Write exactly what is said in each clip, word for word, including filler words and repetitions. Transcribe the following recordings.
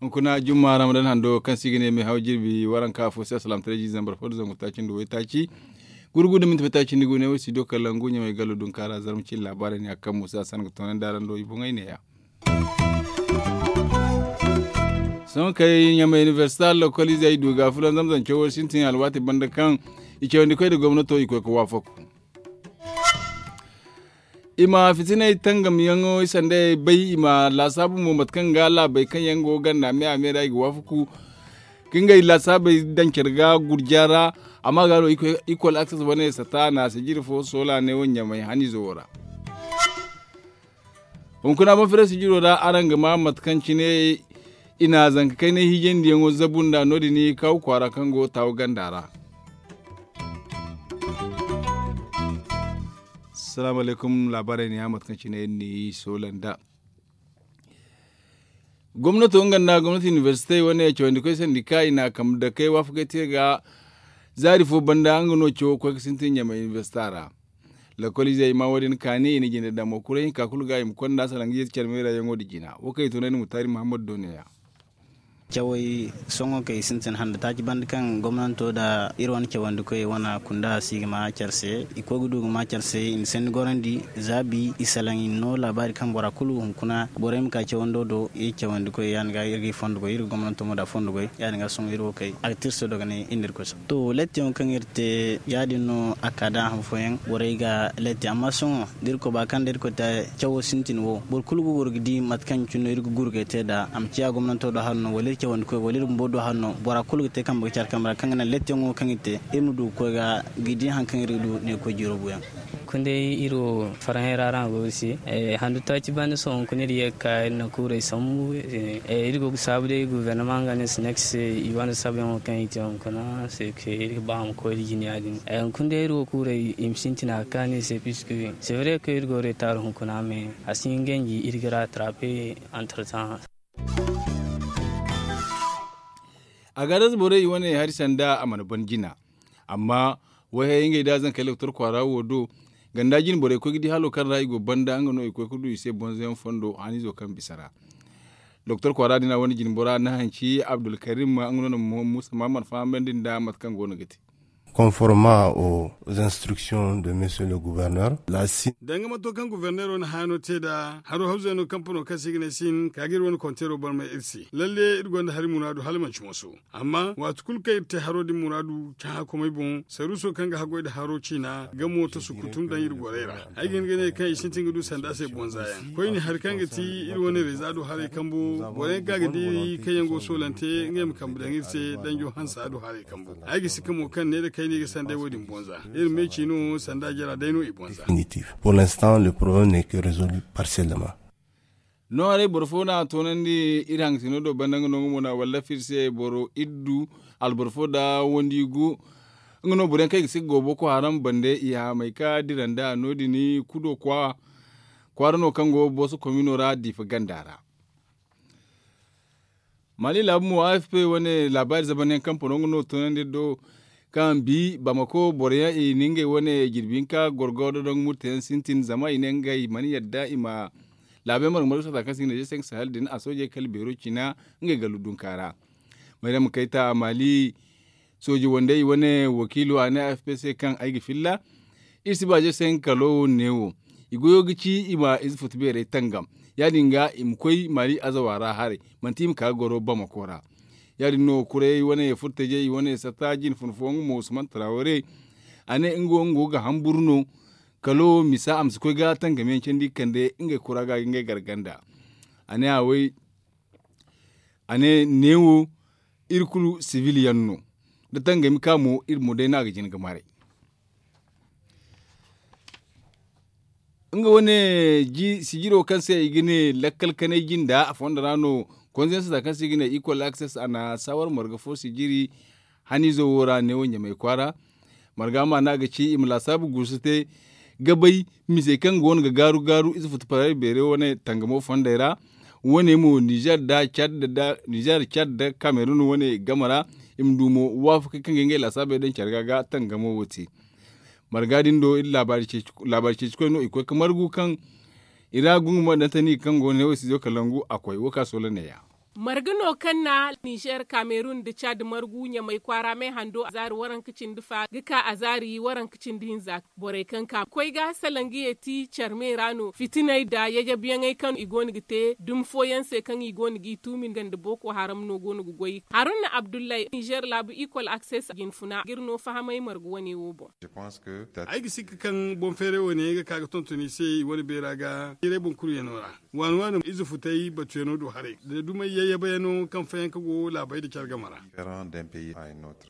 Hunkuna jumma ramadan hando kaŋ se i ga ne meehaw jirbi waranka afo se alsilaamataray jiize zambar fo nda zangu taaci nda waytaaci gurgu nda minti waytaaci nda gu ne wo studio kalangu ɲamay gallo dunkaara zarma cine laabaarey ne a kaŋ muusa san ga toonandi araŋ do i boŋey neeya. Sohõ kay ɲamay inibersita lokoliizey du ga fulaŋ zamzam cawo sintin alwaati banda kaŋ i cawandi koy nda gomnato i koy ga waafaku. I ma fitinay tangamyaŋo i sanday bay i ma laasaabu mo mate kaŋ ga laabey kaŋ yaŋ go ganda me a me ra i ga waafaku ka ngey laasaabey daŋ care ga gurja ra. Amma ga no ikol akses wane sata na sijiri fo soola ne wo ɲamay haniizo wo ra. Hunkuna boŋ fere sijiro ra araŋ ga ma mate kaŋ cine i na zanka kaynay hiijandiyaŋo zabu nda no- din kaawu kwaara kaŋ go taawu ganda ra. Salaamu alaykum laabaarey ne ya mate kaŋ cine iri n'i soola nda gomnato nga nda gomnati inibersite wane cawandikoy sandika i na a kambe dakey waafakey te ga zaari fo banda nga no cawo ga koy ga sintin ɲamay inibersita ra. Lakoliizey i ma wo- din kaani i na jinde damo kuray hinka kulu ga i ma konda salaŋ ga yeeti care meera yaŋo nda jina wo kaŋ i tunandi mutaari muhammad do ne- ya. Cawey sohõ kay sintin handa taaci banda kaŋ gomnanto nda iri wane cawandikoy wane kunda si ga ma care se i koy ga du ga ma care se i na sanni gorandi zaabi i salaŋ i na no laabaari kaŋ bora kulu hunkuna borey ma ka cawando do iri cawandikoy ya- din ga iri ga i fondo goy iri ga gomnanto mo nda fondo goy ya- din ga sohõ iri wo kay a ga te iri se dogonay iri nda irkoy se. To lettiyaŋo kaŋ iri te ya- din no a ka da han fooyaŋ borey ga letti amma sohõ da irkoy ba kaŋ da irkoy te cawo sintin wo boro kulu ga goro ga di mate kaŋ cine no iri ga gurgay te nd'a a ma ciya gomnanto do hari no wala iri cawandikoy wala iri bumbo do hari no bora kulu ga te kambe ga care kambe ra kaŋ ga naŋ lettiyaŋo kaŋ iri te iri ma du ga koy ga ga di hari kaŋ iri ga du neekoy jiiro buuyaŋ. Hunkuna day iri wo farhãy ra araŋ go iri se handu taaci banda sohõ hunkuna iri ye ga ka iri na kuurey sambu. Iri go ga saabu day guvernement nga ne sinex se i wane saabuyaŋo kaŋ i te hunkuna se iri ga ba a ma koy da jine ya- din hunkuna day iri wo kuurey i ma sintina ga kaanu i se puisque sevre kaŋ iri go retard hunkuna mais a si hin ganji iri ga rattrape. Entretemps. Agadas borey i wane hari sanda a mana ban jina amma wayhay ngey da zankey loktor kwaara wo do ganda jine borey koy ga di halo kaŋ ra i go banda nga no i koy ga du i se bonzoyaŋ fondo haniizo kaŋ bisa ra. Doktor kwaara din a wane jine bora na hanci abdulkarim nga no na musa mahamman fahamandi nda mate kaŋ go no ga te. Conforma aux instructions de monsieur le gouverneur la si. Danga mato kaŋ guverneero na haano te nda haro hawzayno kampano kaŋ se i ga ne sin ka ga iri wane konteero barmay iri se lalle iri gonda hari muraadu hala manci moso. Amma waati kulu kaŋ iri te haro din muraadu cahã komey boŋ saruuso kaŋ ga haggoy nda haro ciina ga mooto sukutum daŋ iri gorey ra. Ay ga hin ga ne kaŋ i sintin ga du sanda se bonza yaŋ koyne hari kaŋ ga ti iri wane reeza do haray kambo boro yaŋ kaŋ a ga diiri kaŋ yaŋ go soolante ngey ma kambe daŋ iri se danjo hansa do haray kambo. Ay ga si ka mo kaŋ ne nda kayna i ga sanday wo- din bonza iri ma ay ci no sanda jara day no i bonza. Pour l'instant le problème n'est que résolu partiellement. No haray boro fo no a toonandi iri hangasino do banda nga no nga mo no a wallafa iri se boro iddu alboro fo nda wandi gu. Nga no boro yaŋ kaŋ i ga si ga go boko haram bande i haamay ka dira nda no- din kudo kwaara no kaŋ go booso komino ra diifa ganda ra. Mali laabu mo afp wane laabaari zamanyaŋ kampano nga no toonandi iri do kaŋ bi bamako boro yaŋ i na ngey wane jirbi hinka gorgo da dongo murteyaŋ sintin zama i ne ngey mana yadda i ma laabu yaŋ marga marga sata kaŋ se i ga ne je se nga sahel din a soojey kala beero cina ngey gallu dunka ra. Mayrama kayta mali sooji wandey wane wakiilo a ne afp se kaŋ ay ga filla iri si ba je se nga kalo neewo. I goyo ga ci i ma ize futu beerey tangam ya- din ga i ma koy mali azawa ra haray manti i ma ka ga goro bamako ra. Ya- din no kuray wane furtajey wane satta jine fun fooyaŋ mo usman taraware a ne nga wo nga go ga hamburu no kalo misa a ma si koy ga tangamiyaŋ candi ga kande ngey kura ga ga ngey garganda. A ne a way a ne neewo iri kulu sibil yaŋ no da tangami ka mo iri mo day no a ga jin ga maray. Nga wane sijiro kaŋ se i ga ne lakkal kanay jinda a fondo ra no konzensa za kaŋ se i ga ne ikol akses a na sawar marga fo sijiri haniizo wo ra neewo ɲamay kwaara. Marga ma no a ga ci i ma laasaabu guusu te ga bay misey kaŋ go no ga gaaru gaaru ize futu parayra beeray wane tangamo fondey ra. Wane mo nizer da cad da kamerun wane game ra i ma du mo waafakey kaŋ ga ngey laasaabey daŋ care ga ga tangamo wo te. Marga din do iri laabaari ceeci koy no i koy ga margu kaŋ i ra gungu ma daŋ tani kaŋ go no ne wo si zo kalangu a koy wo ka soola neeya. Marga no kaŋ na nizer kamerun nda cad margu ɲamay kwaara me hando a zaari waranka cindi fa ga ka a zaari waranka cindi hinza. Borey kaŋ ka koy ga salangiye ti care me ra no fitiney nda yajabiyaŋey kaŋ i go no ga te dumi fooyaŋ se kaŋ i go no g'i tuumi nga nda booko haram no go no ga goy haruna abdullay nizer laabu ikol akses jinfuna ga iri no fahamay marga wane wo boŋ. Ay ga sikka kaŋ boŋ feeray wane ga ka ga tonton i se i wane beera ga jiiray boŋ kulu yaŋo ra. Waani waani ize futay batuyano do haray da dumey yayyabayano kaŋ fayanka go laabey da care game ra.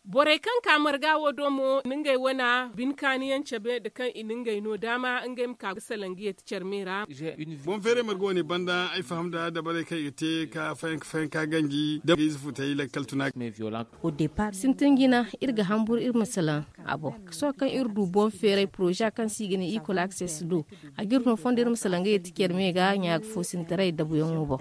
Borey kaŋ ka marga wo do mo na ngey wana bine kaaniyaŋ cabe nda kaŋ i na ngey no daama ngey ma ka ga salangiye ti care me ra. Boŋ feeray marga wane banda ay faham nda dabarey kaŋ i ga te ka fayanka fayanka ganji da ize futay lakkal tuna. Sintin jina iri ga hamburu iri ma salaŋ a boŋ. Sohõ kaŋ iri du boŋ feeray poroza kaŋ se i ga ne ikol akses do a ga iri no fondo iri ma salaŋ ga yeti care me ga ɲaaga foosintaray dabuyaŋo boŋ.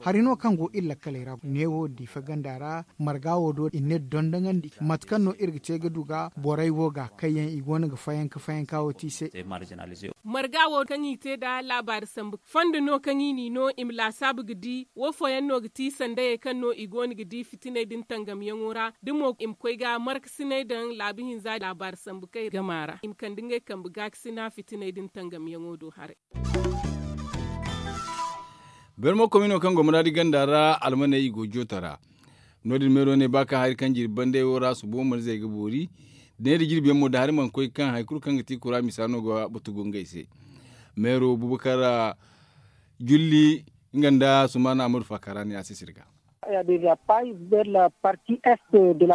Hari no kaŋ go iri lakkaley ra neewo diifa ganda ra marga wo do i ne dondoŋandi mate kaŋ no iri ga te ga du ga borey wo ga kaŋ yaŋ i go no ga fayanka fayanka wo te i se. Marga wo kaŋ i te nda laabaari sambu fondo no kaŋ i n'i no i ma laasaabu ga di wo fooyaŋ no ga ti sandayey kaŋ no i go no ga di fitiney din tangamyaŋo ra da mo i ma koy ga markasiney daŋ laabu hinza laabaari sambu kay gama ra i ma kande ngey kambe gaakasina fitiney din tangamyaŋo do haray. Bermo komino kaŋ go maraadi ganda ra almaney i go joota ra. No- din meero ne ba kaŋ hari kaŋ jirbi bandey wo ra subo mana zay ga boori. Neera jirbiyaŋ mo da hari mana koy kaŋ hari kulu kaŋ ga ti kura misa no ga batu go ngey se. Meero bubakar julli nga nda sumaana amadu faakara ne a se sirga.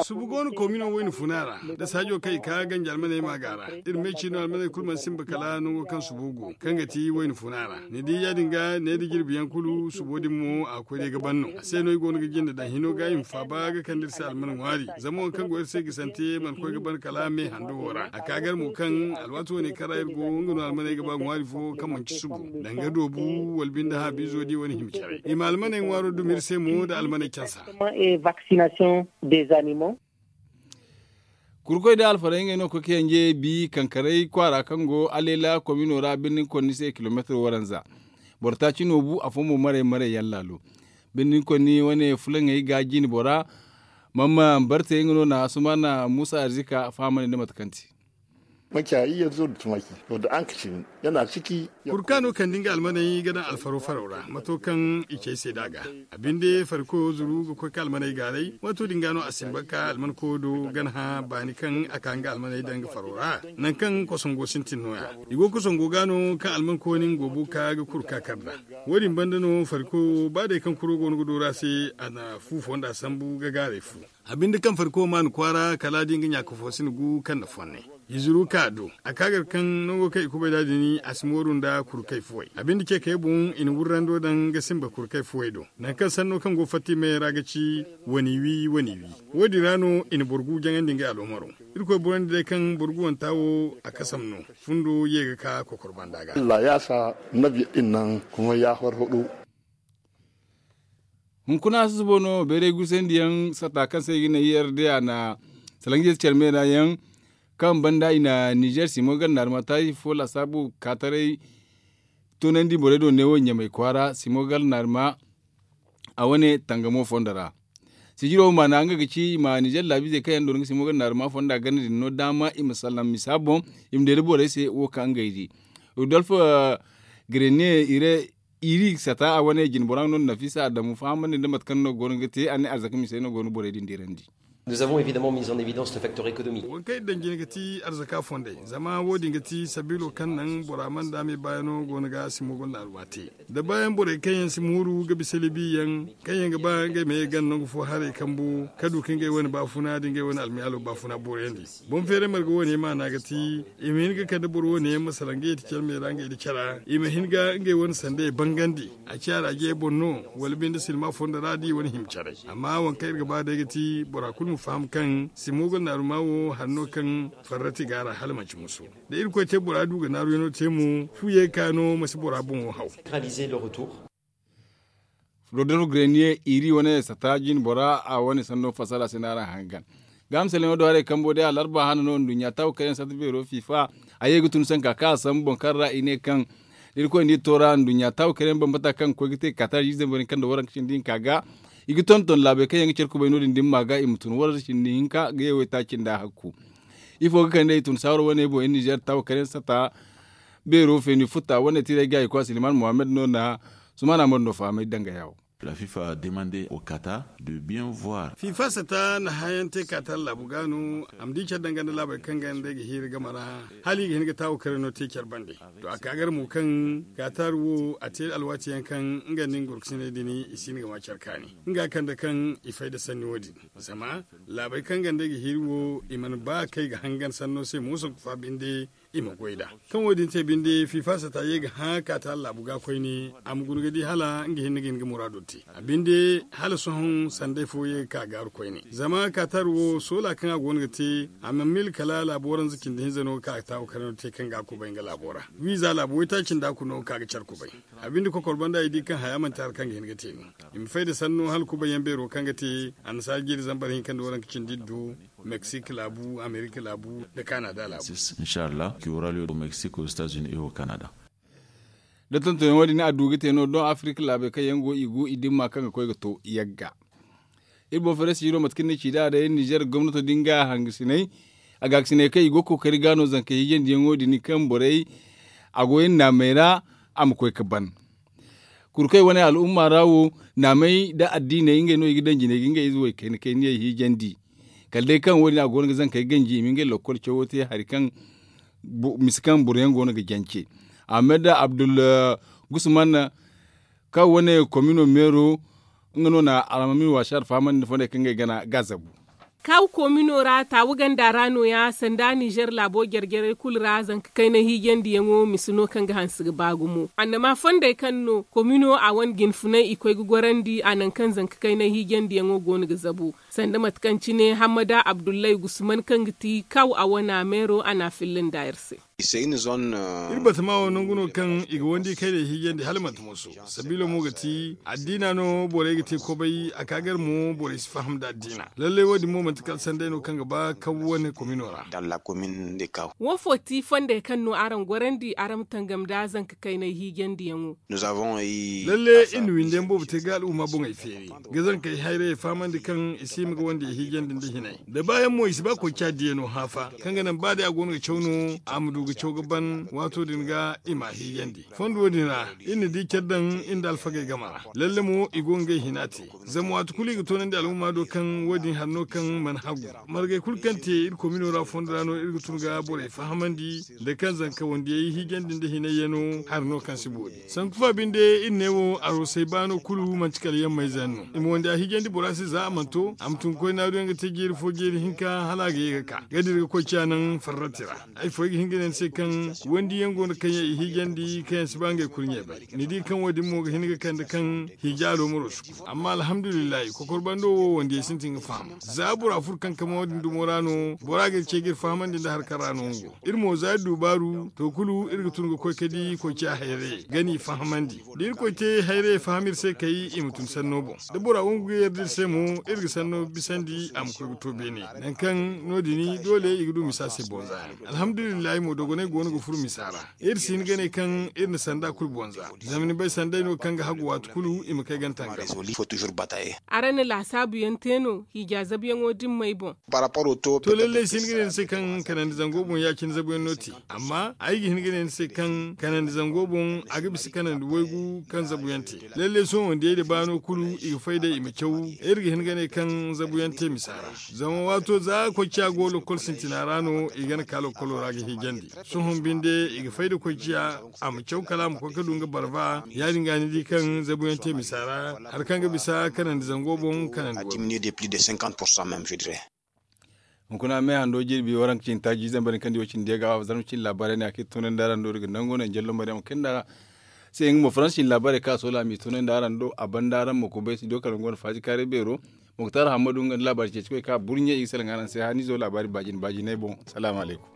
Subu go no komino wayna funa ra da saajo kaŋ i ka ganji almaney ma ga ra. Iri me ciino almaney kulu mana simba kala nango kaŋ subu go kaŋ ga ti wayna funa ra. Ni di ya- din ga ne da jirbi yaŋ kulu subo din mo a koy day ga ban no a se no i go no ga jinde daŋ hino ga i ma faaba ga kande iri se alman ŋwaari. Zama wo kaŋ go iri se gisante mana koy ga ban kala me hando wo ra a ka gar mo kaŋ alwaati wane kaŋ ra iri go nga no almaney ga ba ŋwaari fo kaŋ manci subu danga doobu wala binde haabiizo di wane hima care i ma almaney ŋwaaro dumi iri se mo nda almaney cansa. Kurkoy da alfaray ngey no koy ka yanje bi kankaray kwaara kaŋ go aleela komino ra birnin konni se kilomeetar waranza. Boro taaci no bu afo mo maray maray yaŋ laalo birnin konni wane fulaŋey ga jine bora. Mamma bartey nga no na asumaana muusa arzika fahamandi nda mate kaŋ te. Kurka no kaŋ da nga almaney ga daŋ alfaro faro ra mato kaŋ i cey se da ga. A binde farikoyo zuru ga koy ka almaney gaaray waato din ga no a simba ka alman koyo do gana hã baani kaŋ a ka nga almaney daŋ ga faro ra. Nangu kaŋ kosongo sintin no- ya i go kosongo ga no kaŋ alman koyo nin go bo ka ga kuru ka kar nd'a. Wo- din banda no farikoyo ba day kaŋ kuro go no ga dooru a se a na fu fonda sambu ga gaaray fu. A binde kaŋ farikoyo maan kwaara kala a di nga ɲaaka fo si na gu kaŋ na fonne. I zuru ka a do a ka gar kaŋ nango kaŋ i kubay nd'a din a si mooru nda kuru kay fuwey a binde ce kay boŋ i na wurrando daŋ ga simba kuru kay fuwey do. Nangu kaŋ sanno kaŋ go fatta i meyey ra ga ci wani wi wani wi. Wo- din ra no i na boro gu jaŋandi ngey aloomaro. Irkoy borandi day kaŋ boro gu wanta wo a kasam no. Fundo ye ga ka kokor banda ga. Hunkuna susubo no bayray guusandiyaŋ sata kaŋ se i ga ne i r d a na salaŋ jeesi care me ra yaŋ kaŋ banda i na nizer simo gar naarima taaci fo laasaabu kaataray. Toonandi borey do neewo ɲamay kwaara simo gar naarima a wane tangamo fondo ra. Sijiro maana nga ga ci i ma nizer laabiizey kaŋ yaŋ doona ga simo gar naarima fondo a ganda din no daama i ma salaŋ misa boŋ. I ma deeda borey se wo kaŋ ngey di rudolf grenier ire iri sata a wane jinbora no nafisa adamu fahamandi nda mate kaŋ no go no ga te a ne arzaka misey no go no borey din deerandi. Nous avons évidemment mis en évidence le facteur économique. Waŋ kaŋ iri daŋ jine ga ti arzaka fondey zama wo- din ga ti sabiilo kaŋ naŋ bora mana daame baayano go no ga simo gonda alwaate. Da baayaŋ borey kaŋ yaŋ si mooru ga bisa libi yaŋ kaŋ yaŋ ga ba ngey ma ye ganda nangu fo haray kambu ka du ka ngey wane baafuna nda ngey wane almiyaalo baafuna boorayandi. Boŋ feeray marga wane maana ga ti i ma hin ga kande boro wane yaŋ ma salaŋ ga yeti care me ra ngey nda cara i ma hin ga ngey wane sandey bangandi. A ciya ra jey boŋ no wala binde silma fondo ra da i wane hima caray. Amma waŋ kaŋ iri ga ba day ga ti bora kulu. Ma faham kaŋ simo ga naaru ma wo hari no kaŋ farrati ga a ra hala manci muso da irkoy te bora du ga naaru yaŋo te mo fu ye ga ka no ma si bora boŋo haw. Rodolfo grenier iri wane sata jin bora a wane sanno fasara se no araŋ hangan. Ga misalyaŋo do haray kambo day alarba hana no nduɲɲa taawu kayyaŋ sata beero fifa a ye ga tun sanka kaŋ a sambu boŋ kaŋ ra i ne kaŋ da irkoy nda i to ra nduɲɲa taawu kayyaŋ bambata kaŋ ga koy ga te katar jiizey boro kaŋ da waranka cindi hinka ga i ga tonton laabey kaŋ yaŋ ga care kubay no- din dimma ga i ma tun waranka cindi hinka ga ye waytaaci nda hakku. Ifo ga kande i tun saaro wane boŋ iri nizer taawu kayyaŋ sata beero feeni futta wane tiray ga i koy a siliman muhammad no na sumaana moro no fahamay danga yawo. La fifa demande au kata de bien voir. Fifa sata na hayaŋ te katar laabu ga no a ma di care danga nda laabey kaŋ ga nda ay ga hiiri game ra hala i ga hin ga taawu karay no te care bande. To a ka gar mo kaŋ katar wo a te alwaati yaŋ kaŋ nga nda nga gorkasiney din i si hin ga ma care kaani nga kande kaŋ i fay nda sanni wo- din. Zama laabey kaŋ ga nda ay ga hiiri wo i mana ba kay ga hangan sanno se mo sanku fa binde i ma goy nd'a. Kaŋ wo- din te binde fifa sata ye ga hã kaata laabu ga koyne a ma guna ga di hala nga hinne ga hin ga muraado te a binde hala sohõ sanday fo ye ga ka gaaru koyne zama katar wo soola kaŋ a go no ga te a mana mil kala laabu waranza cindi hinza no ga ka ga taawu kare no ga te kaŋ ga a kubay nga laabo ra. Wiiza laabu waytaaci nda a kuna no ga ka ga care kubay. A binde kokor banda i di kaŋ haya manti hari kaŋ ga hin ga te no i ma fay nda sanno hala kubay yaŋ beero kaŋ ga te annasaara jiiri zambar hinka nda waranka cindi iddu meksik laabu amerika laabu nda kanada laabu. Inshallah ki wuraliyo do meksik aux etats unis et au kanada. Da tontonyaŋo din a du ga te no doŋ afirika laabey kaŋ yaŋ go i go i dimma kaŋ ga koy ga to yagga. Iri boŋ faraysi hiro mate kaŋ ni ci nd'a day nizer gomnato din ga hangasinay a ga ga sinay kaŋ i go ga kookari ga no zanka hiijandiyaŋo din kaŋ borey a go iri naamey ra a ma koy ga ban. Kurkey wane al'umma ra wo naamey nda addiiney ngey no i ga daŋ jinay ga ngey ize wo i kayna kayniyey hiijandi. Kala day kaŋ wo- din a go no ga zankey ganji i ma ngey lokkol cawo te hari kaŋ misa kaŋ boro yaŋ go no ga jance. Ahmed abdul gusman kaŋ wane komino meero nga no na alhamami waasi alfahamandi nda fondey kaŋ ngey gana ga a zabu. Kaw koomino ra taawu ganda ra nooya sanda nizer laabo jare jarey kulu ra zanka kaynay hiijandiyaŋo misa no kaŋ ga hanse ga ba gumo annama fondey kaŋ no koomino a wane jinfunay i koy ga gorandi a nangu kaŋ zanka kaynay hiijandiyaŋo go no ga zabu sanda mate kaŋ cine hammada abdullay gusman kaŋ ga ti kaw a wana meero a n'a filla nda iri se. Iri batama wo nangu no kaŋ i ga wandi kaynay hiijandi hala manti mooso. Sabiilo mo ga ti addiina no borey ga te kobay a ka gar mo borey si faham nda addiina. Lallay wo- din mo manti kala sanday no kaŋ ga ba kaw wane komino ra. Wo fo ti fondey kaŋ no araŋ gorandi araŋ ma tangam nda zanka kaynay hiijandiyaŋo. Lalle iri na windi yaŋ boobo te ga al'umma boŋey feeri ga zankey hayrayey fahamandi kaŋ i si hima ga wandiyey hiijandi nda hinay da baayaŋ mo i si ba koy ca diyano hã fa kaŋ ga naŋ ba day a go no ga caw no a ma du ga caw ga ban waato din ga i m'a hiijandi. Fondo din ra iri na di care daŋ iri nda alfagey game ra. Lalle mo i go ngey hina te zama waati kulu i ga toonandi al'umma do kaŋ wo- din hari no kaŋ mana hagu. Margey kulu kaŋ te iri komino ra fondo ra no iri ga tun ga borey fahamandi nda kaŋ zanka wandiyey hiijandi nda hinay yaŋ no hari no kaŋ si boori. Sanku fa binde iri ne wo aroosey baano kulu manti kala yammayze yaŋ no i ma wandiya hiijandi bora se za a mana to a ma tun ga koy naaru yaŋ ga te jeeri fo jeeri hinka hala a ga ye ga ka ga dira ga koy ciya naŋ farrati ra. Ay fo ay ga hin ga ne ni se kaŋ wandiyaŋ go no kaŋ yaŋ i hiijandi kaŋ yaŋ si ba ngey kurɲey bay. Ni di kaŋ wo- din mo ga hin ga kande kaŋ hiija aloomaro si ku amma alhamdulillahi kokor bando wo wandiyey sintin ga faham. Za bora furo kankama wo- din dumo ra no bora ga iri ce ga iri fahamandi nda hari kaŋ ra no nga go. Iri mo za iri du baaru to kulu iri ga tun ga koy ka di koy ciya hayrayey ga n'i fahamandi. Da irkoy te hayrayey faham iri se kay i ma tun sanno boŋ. Da bora wangu ga yarda iri se mo iri ga sanno bisandi a ma koy ga to beene. Nangu kaŋ no- din doole i ga du misa se bonza yaŋ. Alhamdulillahi mo dogonay go no ga furo misa ra. Iri si hin ga ne kaŋ iri na sanda kulu bonza. Zama ni bay sanday no kaŋ ga hagu waati kulu i ma kay gantanga. Araŋ na laasaabu yaŋ te no hiija zabuyaŋo dimmey boŋ. To lallay si hin ga ne ni se kaŋ kanandi zango boŋ ya- cine zabuyaŋ no te. Amma ay ga hin ga ne ni se kaŋ kanandi zango boŋ a ga bisa kanandi waygu kaŋ zabuyaŋ te. Lallay sohõ wandiyey da baano kulu i ga fay day i ma caw. Iri ga hin ga ne kaŋ zabuyaŋ te misa ra. Zama waato za koy ciya go lokkol sintina ra no i gana ka lokkolo ra ga hiijandi. Sohõ binde i ga fay da koy ciya a ma caw kala a ma koy ga du nga barba. Ya- din ga ni di kaŋ zabuyaŋ te misa ra hari kaŋ ga bisa kanandi zango boŋ kanandi. Hunkuna me hando jirbi waranka cine taaji zambar ni kaŋ di wo cine deega wa zarma cine laabaarey ne a kaŋ i tunandi araŋ do daga nango naŋ jallo mariyaŋ kaŋ nda se nga mo faransa cine laabaarey kaŋ a soola a m'i tunandi araŋ do a banda araŋ ma kubay si do kala nga wane faaji kaaray beero. Muktar hammadu nga nda laabaari ceeci koy ka burɲe i ga salaŋ araŋ se haniizo laabaari baajin baajinay boŋ. Salaamu alaykum.